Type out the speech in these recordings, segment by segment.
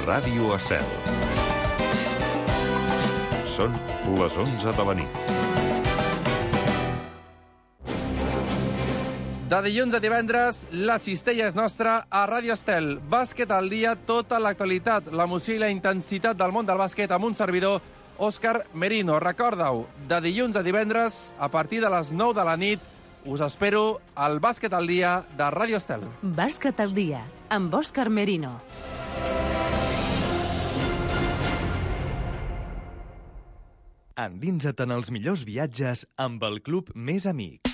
Ràdio Estel. Són les 11 de la nit. De dilluns a divendres, la cistella és nostra a Ràdio Estel. Bàsquet al dia, tota l'actualitat, l'emoció i la intensitat del món del bàsquet amb un servidor, Òscar Merino. Recorda-ho, de dilluns a divendres, a partir de les 9 de la nit, us espero al Bàsquet al dia de Ràdio Estel. Bàsquet al dia, amb Òscar Merino. Endinsa't en els millors viatges amb el Club Més Amics.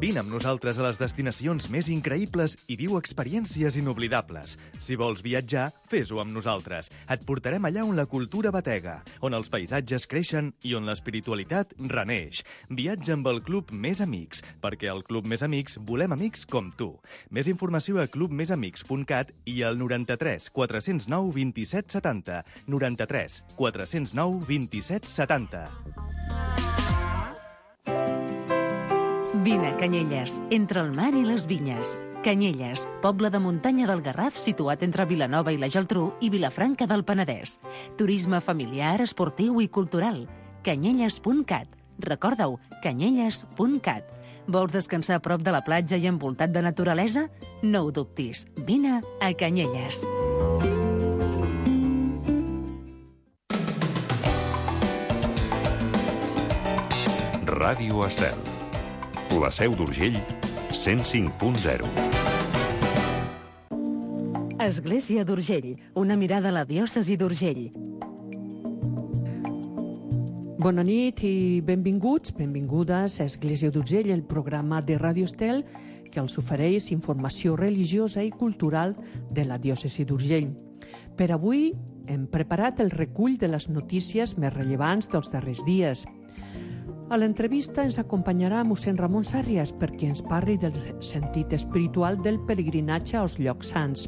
Vine amb nosaltres a les destinacions més increïbles i viu experiències inoblidables. Si vols viatjar, fes-ho amb nosaltres. Et portarem allà on la cultura batega, on els paisatges creixen i on l'espiritualitat reneix. Viatja amb el Club Més Amics, perquè al Club Més Amics volem amics com tu. Més informació a clubmesamics.cat i al 93 409 27 70. 93 409 27 70. Vine a Canyelles, entre el mar i les vinyes. Canyelles, poble de muntanya del Garraf situat entre Vilanova i la Geltrú i Vilafranca del Penedès. Turisme familiar, esportiu i cultural. Canyelles.cat. Recorda-ho, canyelles.cat. Vols descansar a prop de la platja i envoltat de naturalesa? No ho dubtis. Vine a Canyelles. Ràdio Estel. La Seu d'Urgell, 105.0. Església d'Urgell, una mirada a la diòcesi d'Urgell. Bona nit i benvinguts, benvingudes a Església d'Urgell, el programa de Ràdio Estel que els ofereix informació religiosa i cultural de la diòcesi d'Urgell. Per avui hem preparat el recull de les notícies més rellevants dels darrers dies. A l'entrevista ens acompanyarà mossèn Ramon Sàrrias perquè ens parli del sentit espiritual del pelegrinatge als llocs sants.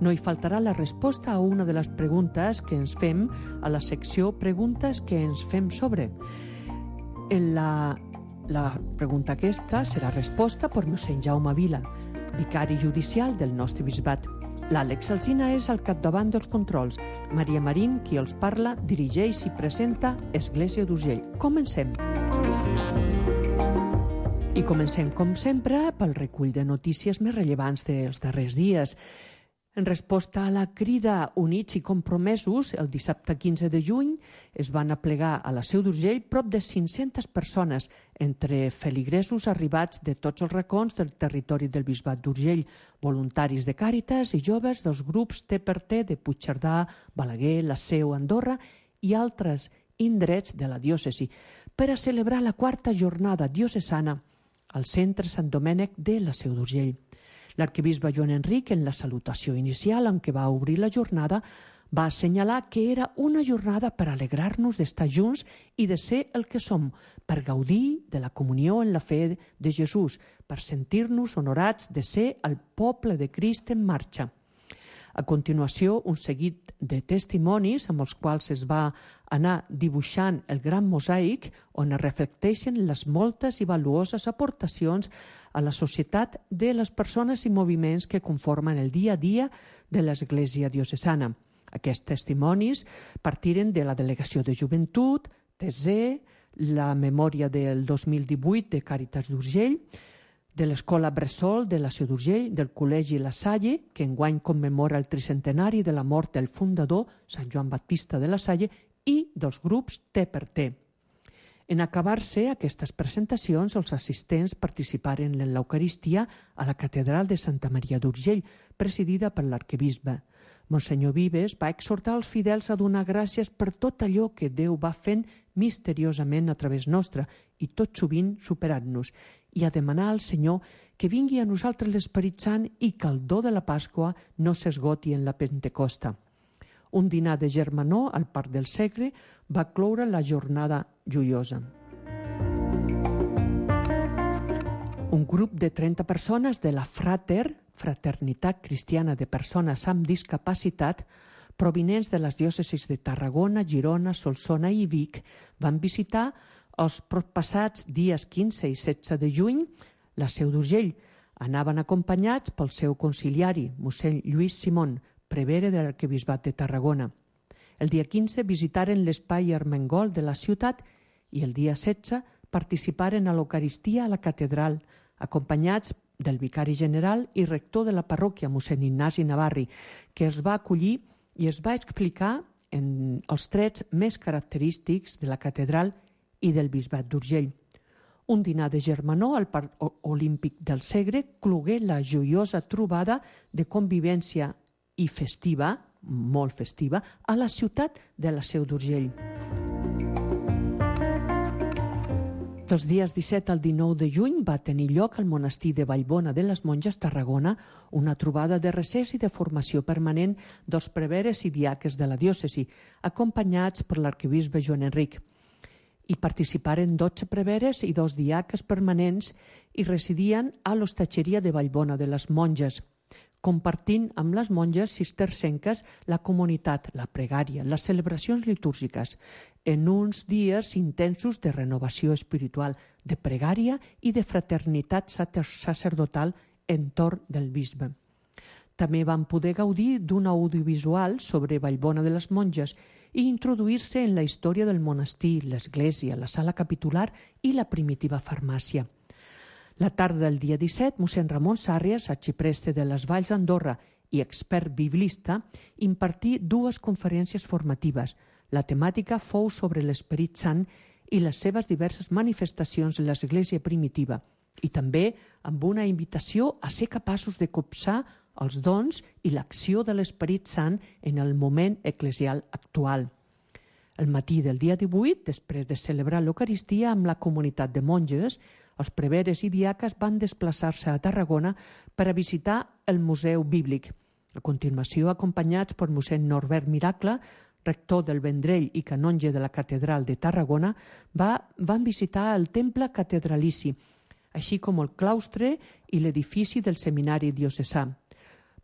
No hi faltarà la resposta a una de les preguntes que ens fem a la secció Preguntes que ens fem sobre. La pregunta aquesta serà resposta per mossèn Jaume Vila, vicari judicial del nostre bisbat. L'Àlex Alsina és al capdavant dels controls. Maria Marín, qui els parla, dirigeix i presenta Església d'Urgell. Comencem. I comencem, com sempre, pel recull de notícies més rellevants dels darrers dies. En resposta a la crida Units i Compromesos, el dissabte 15 de juny es van aplegar a la Seu d'Urgell prop de 500 persones, entre feligresos arribats de tots els racons del territori del Bisbat d'Urgell, voluntaris de Càritas i joves dels grups T de Puigcerdà, Balaguer, la Seu, Andorra i altres indrets de la diòcesi, per a celebrar la quarta jornada diocesana al centre Sant Domènec de la Seu d'Urgell. L'arquebisbe Joan Enric, en la salutació inicial en què va obrir la jornada, va assenyalar que era una jornada per alegrar-nos d'estar junts i de ser el que som, per gaudir de la comunió en la fe de Jesús, per sentir-nos honorats de ser el poble de Crist en marxa. A continuació, un seguit de testimonis amb els quals es va anar dibuixant el gran mosaic on es reflecteixen les moltes i valuoses aportacions a la societat de les persones i moviments que conformen el dia a dia de l'Església diocesana. Aquests testimonis partiren de la Delegació de Joventut, TZ, la memòria del 2018 de Càritas d'Urgell, de l'Escola Bressol de la Seu d'Urgell, del Col·legi La Salle, que enguany commemora el tricentenari de la mort del fundador, Sant Joan Baptista de la Salle, i dels grups T. En acabar-se aquestes presentacions, els assistents participaren en l'Eucaristia a la Catedral de Santa Maria d'Urgell, presidida per l'arquebisbe. Monsenyor Vives va exhortar els fidels a donar gràcies per tot allò que Déu va fent misteriosament a través nostre i tot sovint superant-nos, i a demanar al Senyor que vingui a nosaltres l'Esperit Sant i que el do de la Pasqua no s'esgoti en la Pentecosta. Un dinar de germanor al Parc del Segre va cloure la jornada joiosa. Un grup de 30 persones de la Fraternitat Cristiana de Persones amb Discapacitat, provinents de les diòcesis de Tarragona, Girona, Solsona i Vic, van visitar els proppassats dies 15 i 16 de juny la Seu d'Urgell. Anaven acompanyats pel seu conciliari, mossèn Lluís Simón, prevere de l'arquebisbat de Tarragona. El dia 15 visitaren l'espai Armengol de la ciutat i el dia 16 participaren a l'Eucaristia a la catedral, acompanyats del vicari general i rector de la parròquia, mossèn Ignasi Navarri, que es va acollir i es va explicar en els trets més característics de la catedral i del bisbat d'Urgell. Un dinar de germanor al Parc Olímpic del Segre clogué la joiosa trobada de convivència i festiva, molt festiva, a la ciutat de la Seu d'Urgell. Dels dies 17 al 19 de juny va tenir lloc al monestir de Vallbona de les Monges, Tarragona, una trobada de recés i de formació permanent dels preveres i diaques de la diòcesi, acompanyats per l'arquebisbe Joan Enric. Hi participaren 12 preveres i 2 diaques permanents i residien a l'hostatgeria de Vallbona de les Monges, compartint amb les monges cistercenques la comunitat, la pregària, les celebracions litúrgiques, en uns dies intensos de renovació espiritual, de pregària i de fraternitat sacerdotal entorn del bisbe. També van poder gaudir d'un audiovisual sobre Vallbona de les Monges i introduir-se en la història del monestir, l'església, la sala capitular i la primitiva farmàcia. La tarda del dia 17, mossèn Ramon Sàrrias, arxipreste de les Valls d'Andorra i expert biblista, impartí 2 conferències formatives. La temàtica fou sobre l'Esperit Sant i les seves diverses manifestacions en l'Església primitiva i també amb una invitació a ser capaços de copsar els dons i l'acció de l'Esperit Sant en el moment eclesial actual. El matí del dia 18, després de celebrar l'Eucaristia amb la comunitat de monges, els preveres i diaques van desplaçar-se a Tarragona per a visitar el Museu Bíblic. A continuació, acompanyats per mossèn Norbert Miracle, rector del Vendrell i canonge de la Catedral de Tarragona, van visitar el temple catedralici, així com el claustre i l'edifici del seminari diocesà.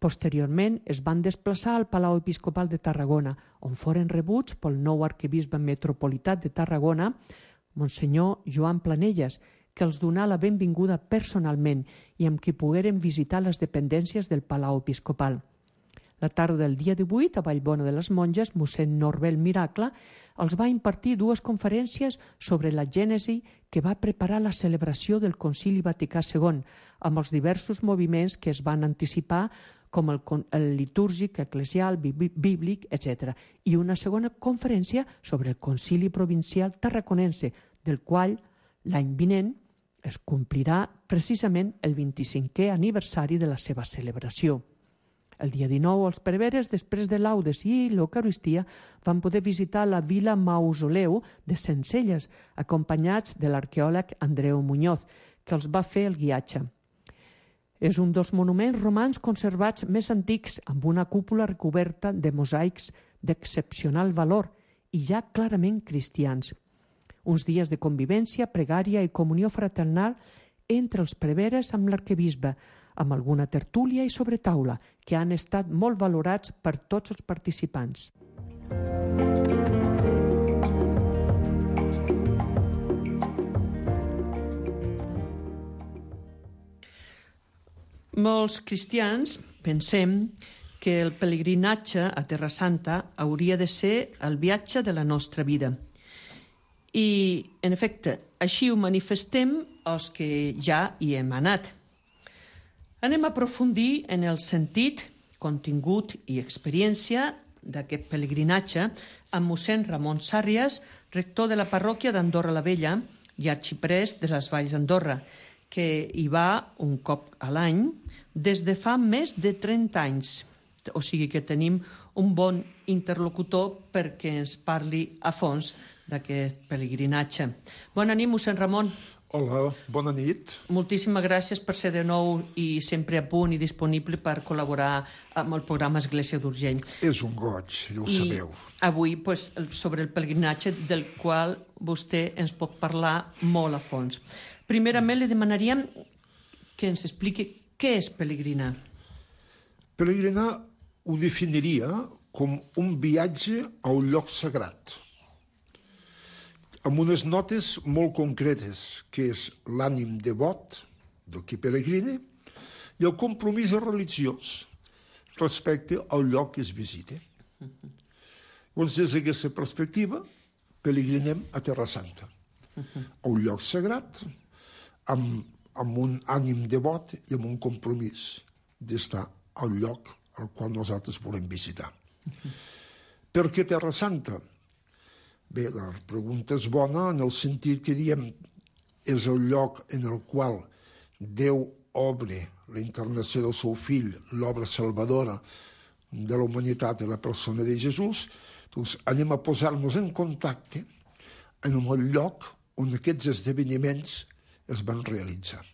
Posteriorment es van desplaçar al Palau Episcopal de Tarragona, on foren rebuts pel nou arquebisbe metropolità de Tarragona, Monsenyor Joan Planelles, que els donà la benvinguda personalment i amb qui pogueren visitar les dependències del Palau Episcopal. La tarda del dia 18, a Vallbona de les Monges, mossèn Norbert Miracle els va impartir 2 conferències sobre la gènesi que va preparar la celebració del Concili Vaticà II, amb els diversos moviments que es van anticipar, com el litúrgic, eclesial, bíblic, etc. I una segona conferència sobre el Concili Provincial Tarraconense, del qual l'any vinent es complirà precisament el 25è aniversari de la seva celebració. El dia 19, els preveres, després de laudes i l'Eucaristia, van poder visitar la vila Mausoleu de Sencelles, acompanyats de l'arqueòleg Andreu Muñoz, que els va fer el guiatge. És un dels monuments romans conservats més antics, amb una cúpula recoberta de mosaics d'excepcional valor i ja clarament cristians. Uns dies de convivència, pregària i comunió fraternal entre els preveres amb l'arquebisbe, amb alguna tertúlia i sobretaula, que han estat molt valorats per tots els participants. Molts cristians pensem que el pelegrinatge a Terra Santa hauria de ser el viatge de la nostra vida. I, en efecte, així ho manifestem els que ja hi hem anat. Anem a aprofundir en el sentit, contingut i experiència d'aquest pelegrinatge amb mossèn Ramon Sàrrias, rector de la parròquia d'Andorra la Vella i arxiprest de les Valls d'Andorra, que hi va un cop a l'any des de fa més de 30 anys. O sigui que tenim un bon interlocutor perquè ens parli a fons d'aquest pelegrinatge. Bona nit, mossèn Ramon. Hola, bona nit. Moltíssimes gràcies per ser de nou i sempre a punt i disponible per col·laborar amb el programa Església d'Urgell. És un goig, ja ho sabeu. I avui, sobre el pelegrinatge del qual vostè ens pot parlar molt a fons. Primerament, li demanaríem que ens expliqui què és pelegrinar. Pelegrinar ho definiria com un viatge a un lloc sagrat, amb unes notes molt concretes, que és l'ànim devot del qui peregrina i el compromís religiós, respecte al lloc que es visita. Llavors, des d'aquesta perspectiva, pelegrinem a Terra Santa, a un lloc sagrat, amb un ànim devot i amb un compromís d'estar al lloc al qual nosaltres volem visitar. Per què Terra Santa? Bé, la pregunta és bona en el sentit que diem és el lloc en el qual Déu obre la encarnació del seu fill, l'obra salvadora de la humanitat i la persona de Jesús. Doncs anem a posar-nos en contacte en el lloc on aquests esdeveniments es van realitzar.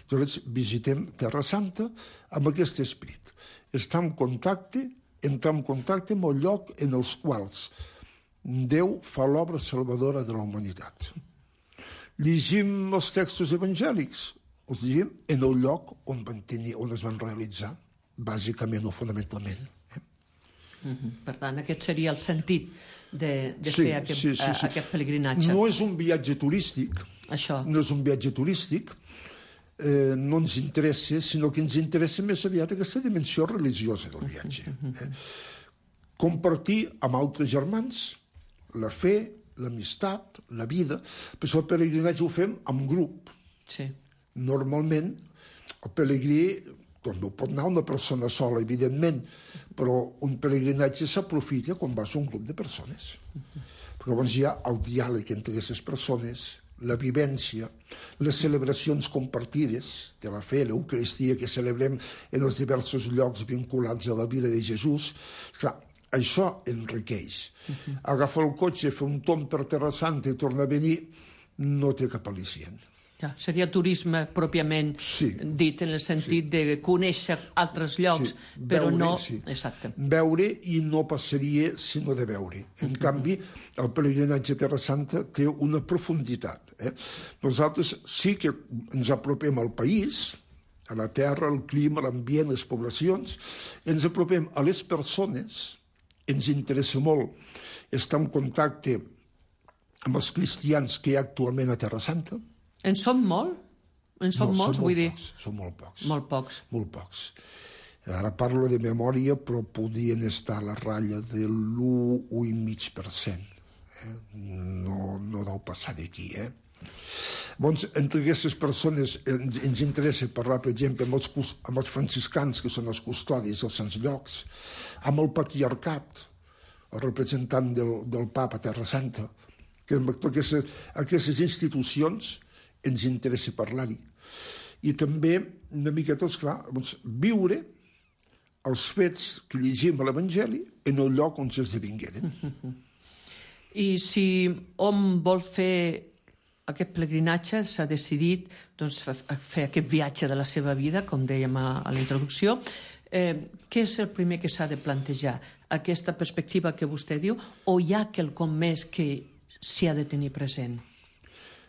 Llavors visitem Terra Santa amb aquest esperit. Entrar en contacte amb el lloc en els quals Déu fa l'obra salvadora de la humanitat. Llegim els textos evangèlics, els llegim en el lloc on es van realitzar, bàsicament o fonamentalment. Per tant, aquest seria el sentit de fer aquest pelegrinatge. No és un viatge turístic. Això. No és un viatge turístic. No ens interessa, sinó que ens interessa més aviat aquesta dimensió religiosa del viatge. Compartir amb altres germans la fe, l'amistat, la vida. Per això el pelegrinatge ho fem en grup. Sí. Normalment, el pelegrí no pot anar una persona sola, evidentment, però un pelegrinatge s'aprofita quan vas a un grup de persones. Perquè llavors hi ha el diàleg entre aquestes persones, la vivència, les celebracions compartides de la fe, l'Eucaristia que celebrem en els diversos llocs vinculats a la vida de Jesús. Clar, això enriqueix. Agafar el cotxe, fer un tomb per Terra Santa i tornar a venir no té cap al·licient. Ja, seria turisme pròpiament dit, en el sentit de conèixer altres llocs, però no... Exacte. Veure i no passaria sinó de veure. En canvi, el pelegrinatge a Terra Santa té una profunditat. Nosaltres sí que ens apropem al país, a la terra, al clima, l'ambient, les poblacions, ens apropem a les persones, ens interessa molt estar en contacte amb els cristians que hi ha actualment a Terra Santa. En són molt? En són molts, vull dir? Són molt pocs. Molt pocs. Molt pocs. Ara parlo de memòria, però podien estar a la ratlla de l'1,5%. No deu passar d'aquí, Llavors, entre aquestes persones ens interessa parlar, per exemple, amb els franciscans, que són els custodis dels sants llocs, amb el patriarcat, el representant del papa a Terra Santa, que amb aquestes institucions ens interessa parlar-hi. I també, una miqueta, esclar, viure els fets que llegim a l'Evangeli en el lloc on s'esdevingueren. I si hom vol fer aquest pelegrinatge, s'ha decidit fer aquest viatge de la seva vida, com dèiem a la introducció, què és el primer que s'ha de plantejar? Aquesta perspectiva que vostè diu, o hi ha quelcom més que s'hi ha de tenir present?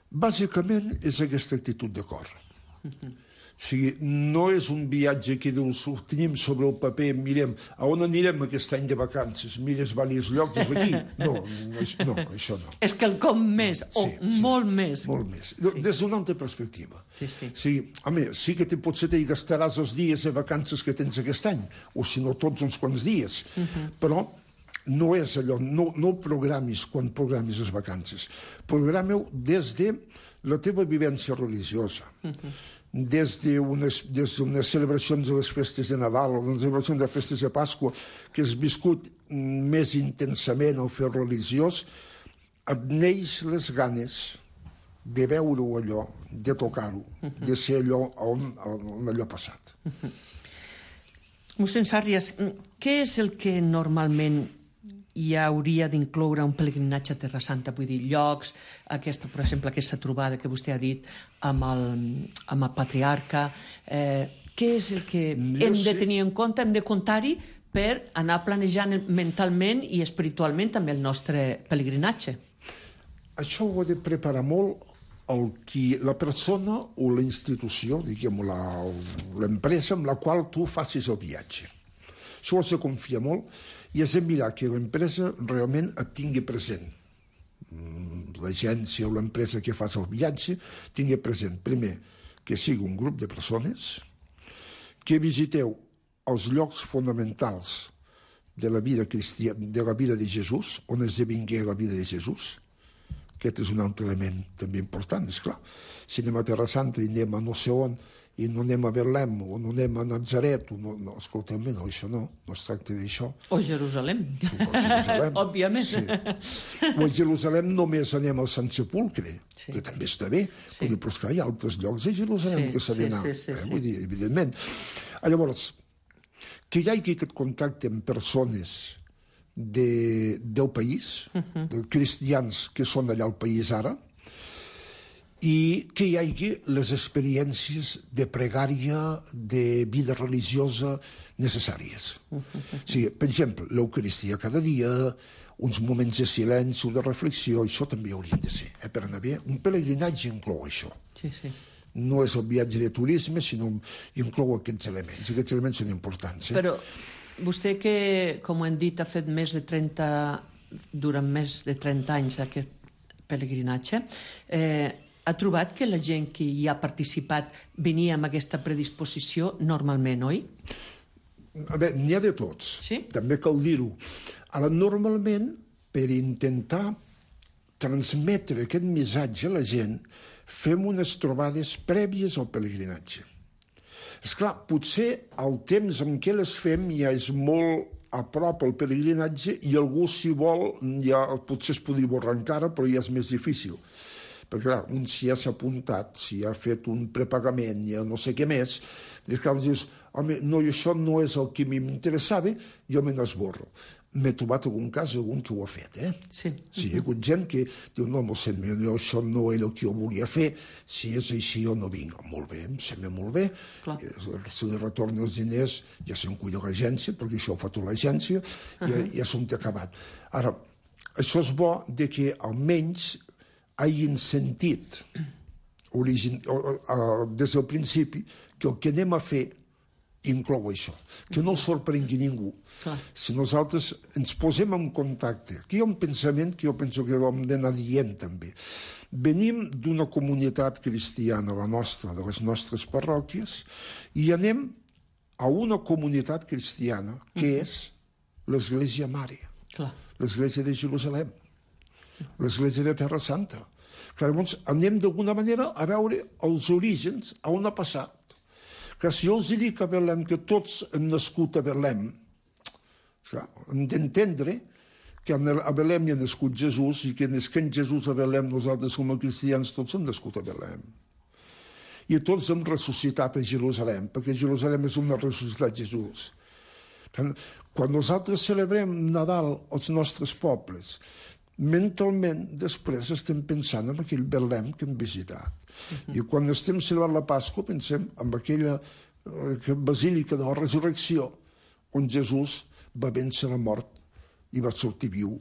Bàsicament és aquesta actitud de cor. O sigui, no és un viatge que dius, ho tenim sobre el paper, mirem, a on anirem aquest any de vacances? Mires diversos llocs, és aquí? No, això no. És quelcom més, molt més. Molt més. Des d'una altra perspectiva. Sí que potser t'hi gastaràs els dies de vacances que tens aquest any, o si no tots uns quants dies, però no és allò, no programis quan programis les vacances. Programeu des de la teva vivència religiosa, des d'unes celebracions de les festes de Nadal o les celebracions de festes de Pasqua que has viscut més intensament el fer religiós, et neix les ganes de veure-ho allò, de tocar-ho, de ser allò on allò ha passat. Mossèn Sàrries, què és el que normalment hi hauria d'incloure un pelegrinatge a Terra Santa? Vull dir, llocs, per exemple, aquesta trobada que vostè ha dit amb el patriarca. Què és el que hem de tenir en compte, hem de comptar-hi per anar planejant mentalment i espiritualment també el nostre pelegrinatge? Això ho ha de preparar molt la persona o la institució, diguem, l'empresa amb la qual tu facis el viatge. Això ho has de confiar molt i has de mirar que l'empresa realment et tingui present. L'agència o l'empresa que fas el viatge tingui present, primer, que sigui un grup de persones, que visiteu els llocs fonamentals de la vida de Jesús, on esdevingué la vida de Jesús. Aquest és un altre element també important, esclar. Si anem a Terra Santa i anem a no sé on, i no anem a Betlem, o no anem a Natzaret, no, escolteu-me, no, això no es tracta d'això. O Jerusalem. Òbviament. Sí. O a Jerusalem només anem al Sant Sepulcre, que també està bé, però esclar, hi ha altres llocs a Jerusalem que s'ha d'anar, vull dir, evidentment. Llavors, que hi hagi aquest contacte amb persones del país, de cristians que són allà al país ara, i que hi hagi les experiències de pregària, de vida religiosa necessàries. O sigui, per exemple, l'Eucaristia cada dia, uns moments de silenci, de reflexió, això també haurien de ser, per anar bé. Un pelegrinatge inclou això. Sí, sí. No és el viatge de turisme, sinó inclou aquests elements. Aquests elements són importants. Però vostè que, com hem dit, ha fet durant més de 30 anys aquest pelegrinatge, ha trobat que la gent que hi ha participat venia amb aquesta predisposició normalment, oi? A veure, n'hi ha de tots. Sí? També cal dir-ho. Ara, normalment, per intentar transmetre aquest missatge a la gent, fem unes trobades prèvies al pelegrinatge. Esclar, potser el temps en què les fem ja és molt a prop al pelegrinatge i algú, si vol, ja potser es podria borrar encara, però ja és més difícil. Perquè, clar, un si ja s'ha apuntat, si ha fet un prepagament, ja no sé què més, dius, home, no, això no és el que m'interessava, jo me n'esborro. M'he trobat algun cas, algun que ho ha fet, Sí. Sí, hi ha hagut gent que diu, no, això no era el que jo volia fer, si és així jo no vinc. Molt bé, em sembla molt bé. Clar. Si li retornen els diners, ja se'n cuida l'agència, perquè això ho fa tota l'agència, ja s'ho té acabat. Ara, això és bo de que almenys hagin sentit des del principi que el que anem a fer inclou això, que no sorprengui ningú. Clar. Si nosaltres ens posem en contacte, aquí hi ha un pensament que jo penso que hem d'anar dient també. Venim d'una comunitat cristiana, la nostra, de les nostres parròquies, i anem a una comunitat cristiana que és l'Església Mare, l'Església de Jerusalem, l'Església de Terra Santa. Llavors anem d'alguna manera a veure els orígens, on ha passat. Que si jo els dic a Betlem que tots hem nascut a Betlem, hem d'entendre que a Betlem hi ha nascut Jesús i que nasquent Jesús a Betlem nosaltres com a cristians tots hem nascut a Betlem. I tots hem ressuscitat a Jerusalem, perquè Jerusalem és on ha ressuscitat Jesús. Quan nosaltres celebrem Nadal als nostres pobles, mentalment després estem pensant en aquell Betlem que hem visitat. I quan estem celebrant la Pasqua pensem en aquella basílica de la resurrecció on Jesús va vèncer la mort i va sortir viu.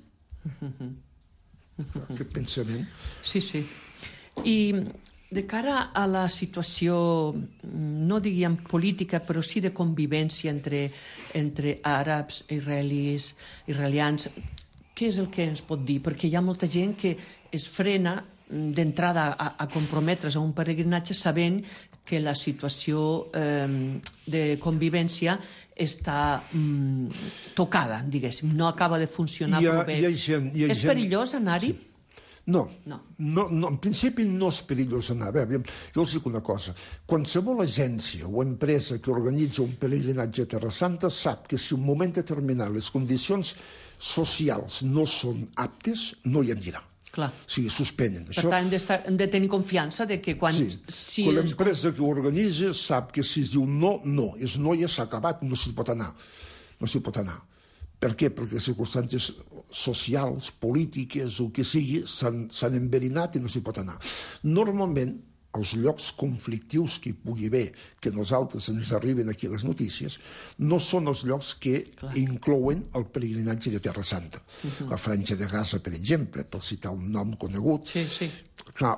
Aquest pensament. Sí, sí. I de cara a la situació, no diríem política, però sí de convivència entre àrabs, israelians, què és el que ens pot dir? Perquè hi ha molta gent que es frena d'entrada a comprometre's a un peregrinatge sabent que la situació de convivència està tocada, diguéssim, no acaba de funcionar prou bé. És perillós anar-hi? No, en principi no és perillós anar. Jo us dic una cosa, qualsevol agència o empresa que organitza un peregrinatge a Terra Santa sap que si en un moment determinat les condicions socials no són aptes, no hi anirà. Clar. O sigui, suspenen. Per tant, hem de tenir confiança de que quan... Sí, quan l'empresa que ho organitza sap que si es diu no, no. És no, ja s'ha acabat, no s'hi pot anar. No s'hi pot anar. Per què? Perquè les circumstàncies socials, polítiques, o que sigui, s'han enverinat i no s'hi pot anar. Normalment, els llocs conflictius que hi pugui haver, que nosaltres ens arriben aquí a les notícies, no són els llocs que inclouen el peregrinatge de Terra Santa. La Franja de Gaza, per exemple, per citar un nom conegut,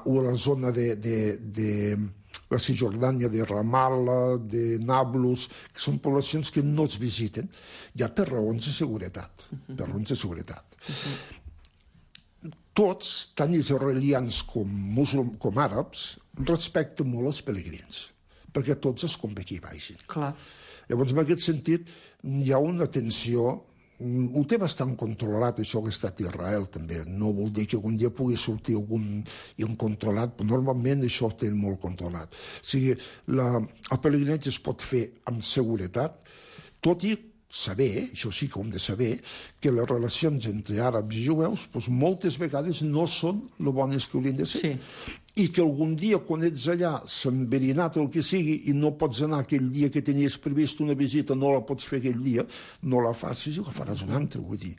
o la zona de la Cisjordània, de Ramallah, de Nablus, que són poblacions que no es visiten, ja per raons de seguretat. Per raons de seguretat. Tots, tant israelians com àrabs, respecten molt els pelegrins, perquè tots es convé que hi vagin. Clar. Llavors, en aquest sentit, hi ha una tensió. Ho té bastant controlat, això que ha estat Israel, també. No vol dir que algun dia pugui sortir algun incontrolat, però normalment això ho té molt controlat. O sigui, el pelegrinatge es pot fer amb seguretat, tot i saber, això sí que ho hem de saber, que les relacions entre àrabs i jueus moltes vegades no són lo bones que haurien de ser. Sí. I que algun dia, quan ets allà, s'ha enverinat el que sigui i no pots anar aquell dia que tenies previst una visita, no la pots fer aquell dia, no la facis i la faràs un altre, vull dir.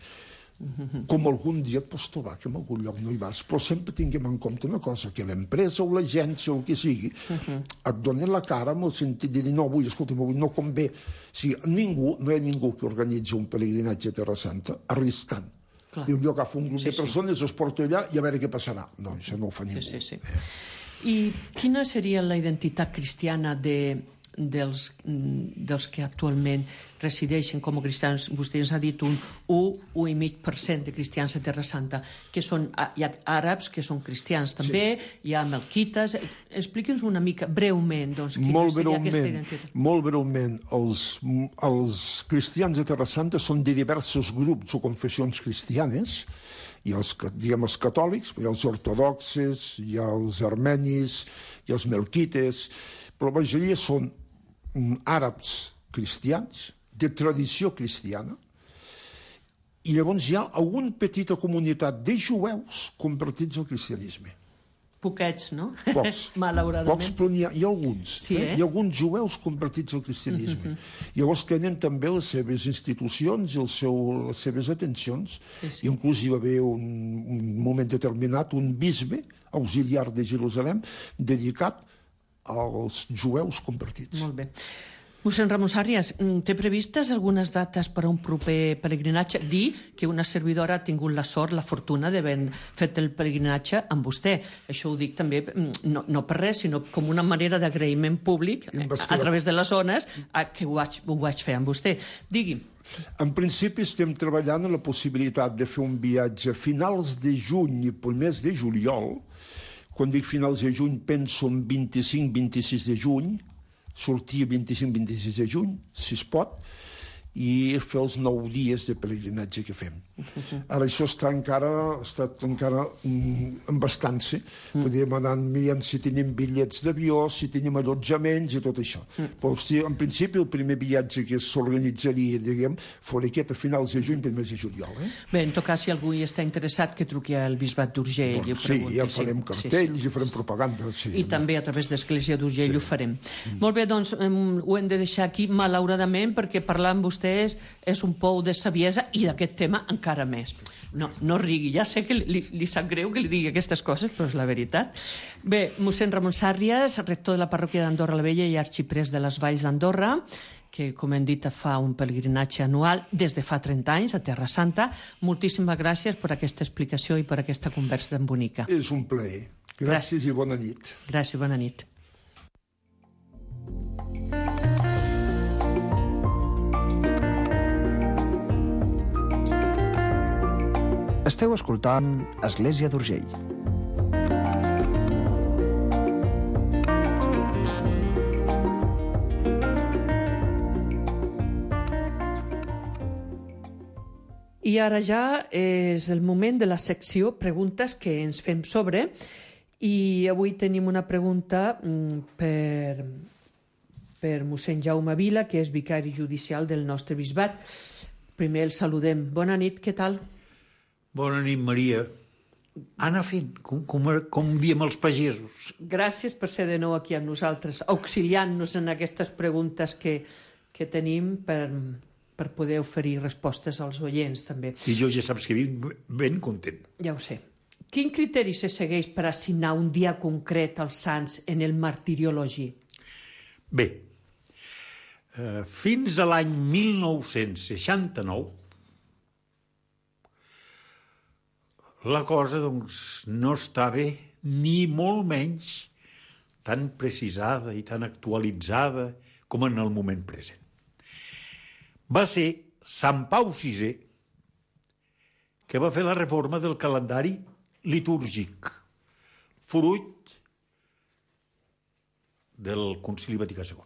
Com algun dia et pots trobar que en algun lloc no hi vas, però sempre tinguem en compte una cosa, que l'empresa o l'agència o el que sigui et donen la cara amb el sentit de dir no, avui, escolta'm, avui no convé. O sigui, no hi ha ningú que organitzi un pelegrinatge a Terra Santa arriscant. Diu, jo agafo un grup de persones, els porto allà i a veure què passarà. No, això no ho fa ningú. I quina seria la identitat cristiana dels que actualment resideixen com a cristians? Vostè ens ha dit un 1,5% de cristians a Terra Santa, que són, hi ha àrabs que són cristians també, hi ha melquites. Expliqui'ns una mica, breument, doncs, quina seria aquesta identitat. Molt breument. Els cristians de Terra Santa són de diversos grups o confessions cristianes. Hi ha els catòlics, hi ha els ortodoxes, hi ha els armenis, hi ha els melquites, però la majoria són àrabs cristians, de tradició cristiana, i llavors hi ha alguna petita comunitat de jueus convertits al cristianisme. Poquets, no? Pocs. Malauradament. Pocs, però hi ha alguns. Sí, Hi ha alguns jueus convertits al cristianisme. Llavors tenen també les seves institucions i les seves atencions. Sí. Inclús hi va haver un moment determinat un bisbe auxiliar de Jerusalem dedicat als jueus convertits. Molt bé. Mossèn Ramon Sàrrias, té previstes algunes dates per a un proper pelegrinatge? Dir que una servidora ha tingut la sort, la fortuna d'haver fet el pelegrinatge amb vostè. Això ho dic també, no per res, sinó com una manera d'agraïment públic a través de les zones que ho vaig fer amb vostè. Digui. En principi estem treballant en la possibilitat de fer un viatge a finals de juny i primers de juliol. Quan dic finals de juny penso en 25-26 de juny, sortir 25-26 de juny, si es pot, i fer els 9 dies de pelegrinatge que fem. Ara això està encara en bastança. Podríem anar mirant si tenim bitllets d'avió, si tenim allotjaments i tot això. Però en principi el primer viatge que s'organitzaria, diguem, fora aquest a finals de juny, primers de juliol. Bé, en tot cas, si algú hi està interessat, que truqui al Bisbat d'Urgell i ho pregunti. Sí, ja farem cartells i farem propaganda. I també a través d'Església d'Urgell ho farem. Molt bé, doncs ho hem de deixar aquí, malauradament, perquè parlar amb vostès és un pou de saviesa i d'aquest tema encara més. No rigui, ja sé que li sap greu que li digui aquestes coses, però és la veritat. Bé, mossèn Ramon Sàrrias, rector de la parròquia d'Andorra la Vella i arxiprés de les Valls d'Andorra, que, com hem dit, fa un pelegrinatge anual des de fa 30 anys a Terra Santa. Moltíssimes gràcies per aquesta explicació i per aquesta conversa tan bonica. És un plaer. Gràcies i bona nit. Gràcies, bona nit. Esteu escoltant Església d'Urgell. I ara ja és el moment de la secció Preguntes que ens fem sobre, i avui tenim una pregunta per mossèn Jaume Vila, que és vicari judicial del nostre bisbat. Primer el saludem. Bona nit, què tal? Bona nit, Maria. Anar fent, com diem els pagesos. Gràcies per ser de nou aquí amb nosaltres, auxiliant-nos en aquestes preguntes que tenim per poder oferir respostes als oients, també. I jo ja saps que vinc ben content. Ja ho sé. Quin criteri se segueix per assignar un dia concret als sants en el martiriologi? Bé, fins a l'any 1969, la cosa, doncs, no estava ni molt menys tan precisada i tan actualitzada com en el moment present. Va ser Sant Pau VI que va fer la reforma del calendari litúrgic, fruit del Concili Vaticà II.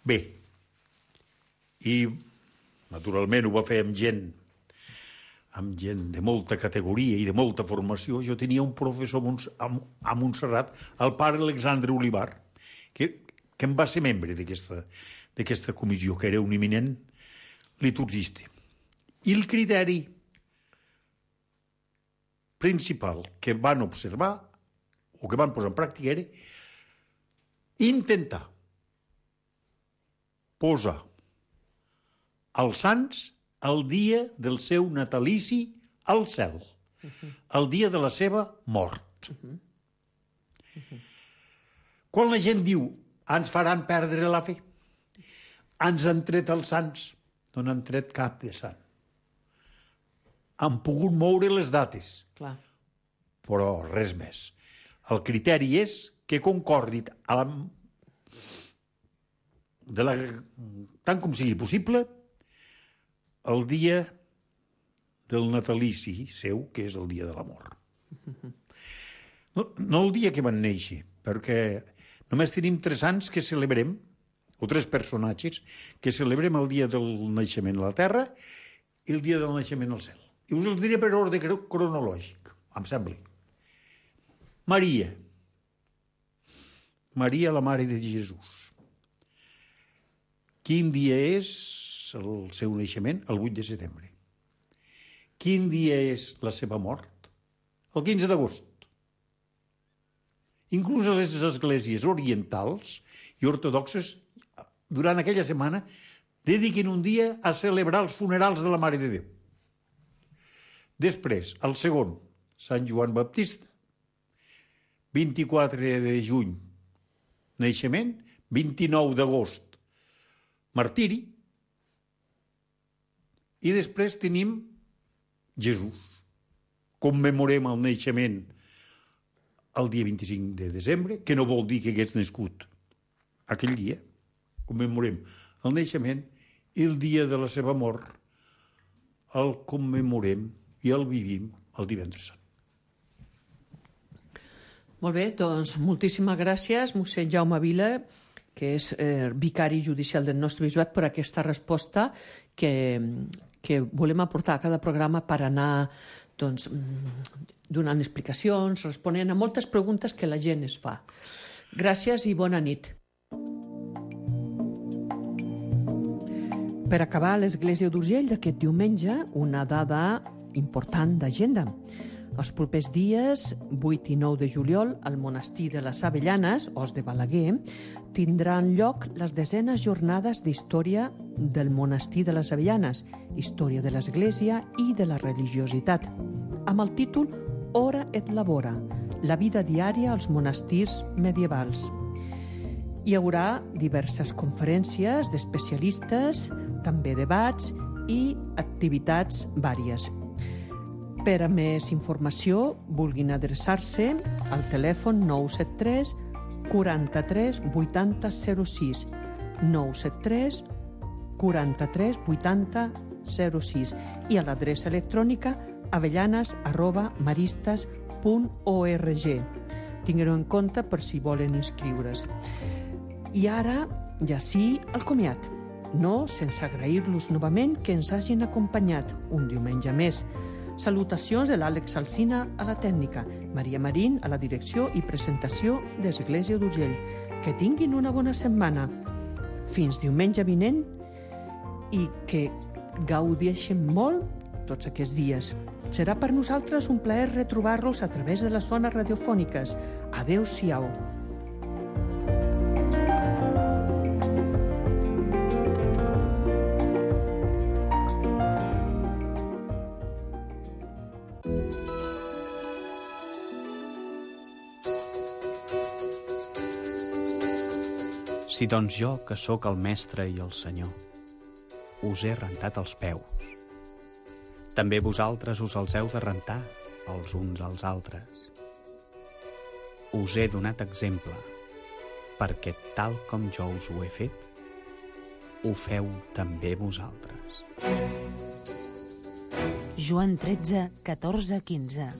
Bé, i naturalment ho va fer amb gent de molta categoria i de molta formació. Jo tenia un professor a Montserrat, el pare Alexandre Olivar, que em va ser membre d'aquesta comissió, que era un eminent liturgista. I el criteri principal que van observar o que van posar en pràctica era intentar posar els sants el dia del seu natalici al cel, el dia de la seva mort. Quan la gent diu ens faran perdre la fe, ens han tret els sants, no n'han tret cap de sant. Han pogut moure les dates, Clar. però res més. El criteri és que concordi tant com sigui possible el dia del natalici seu, que és el dia de l'amor. No el dia que van néixer, perquè només tenim 3 sants que celebrem, o 3 personatges, que celebrem el dia del naixement a la terra i el dia del naixement al cel. I us els diré per ordre cronològic, em sembla. Maria, la mare de Jesús. Quin dia és el seu naixement? El 8 de setembre. Quin dia és la seva mort? El 15 d'agost. Inclús a les esglésies orientals i ortodoxes, durant aquella setmana, dediquen un dia a celebrar els funerals de la Mare de Déu. Després, el segon, Sant Joan Baptista, 24 de juny, naixement, 29 d'agost, martiri, i després tenim Jesús. Commemorem el naixement el dia 25 de desembre, que no vol dir que hagués nascut aquell dia. Commemorem el naixement i el dia de la seva mort el commemorem i el vivim el divendres sant. Molt bé, doncs moltíssimes gràcies, mossèn Jaume Vila, que és vicari judicial del nostre bisbat, per aquesta resposta que volem aportar a cada programa per anar donant explicacions, responent a moltes preguntes que la gent es fa. Gràcies i bona nit. Per acabar, a l'Església d'Urgell d'aquest diumenge, una dada important d'agenda. Els propers dies, 8 i 9 de juliol, al monestir de les Avellanes, Os de Balaguer, tindran lloc les 10enes jornades d'història del monestir de les Avellanes, història de l'Església i de la religiositat, amb el títol Ora et Labora, la vida diària als monestirs medievals. Hi haurà diverses conferències d'especialistes, també debats i activitats vàries. Per a més informació, vulguin adreçar-se al telèfon 973 43 80 06, 973 43 80 06 i a l'adreça electrònica avellanes@maristas.org. Tingueu-ho en compte per si volen inscriure's. I ara, ja sí, el comiat. No sense agrair-los novament que ens hagin acompanyat un diumenge més. Salutacions de l'Àlex Alsina a la tècnica, Maria Marín a la direcció i presentació d'Església d'Urgell. Que tinguin una bona setmana. Fins diumenge vinent i que gaudeixen molt tots aquests dies. Serà per nosaltres un plaer retrobar-los a través de les zones radiofòniques. Adéu-siau. Si doncs jo, que sóc el mestre i el senyor, us he rentat els peus, també vosaltres us els heu de rentar els uns als altres. Us he donat exemple, perquè tal com jo us ho he fet, ho feu també vosaltres. Joan 13, 14, 15.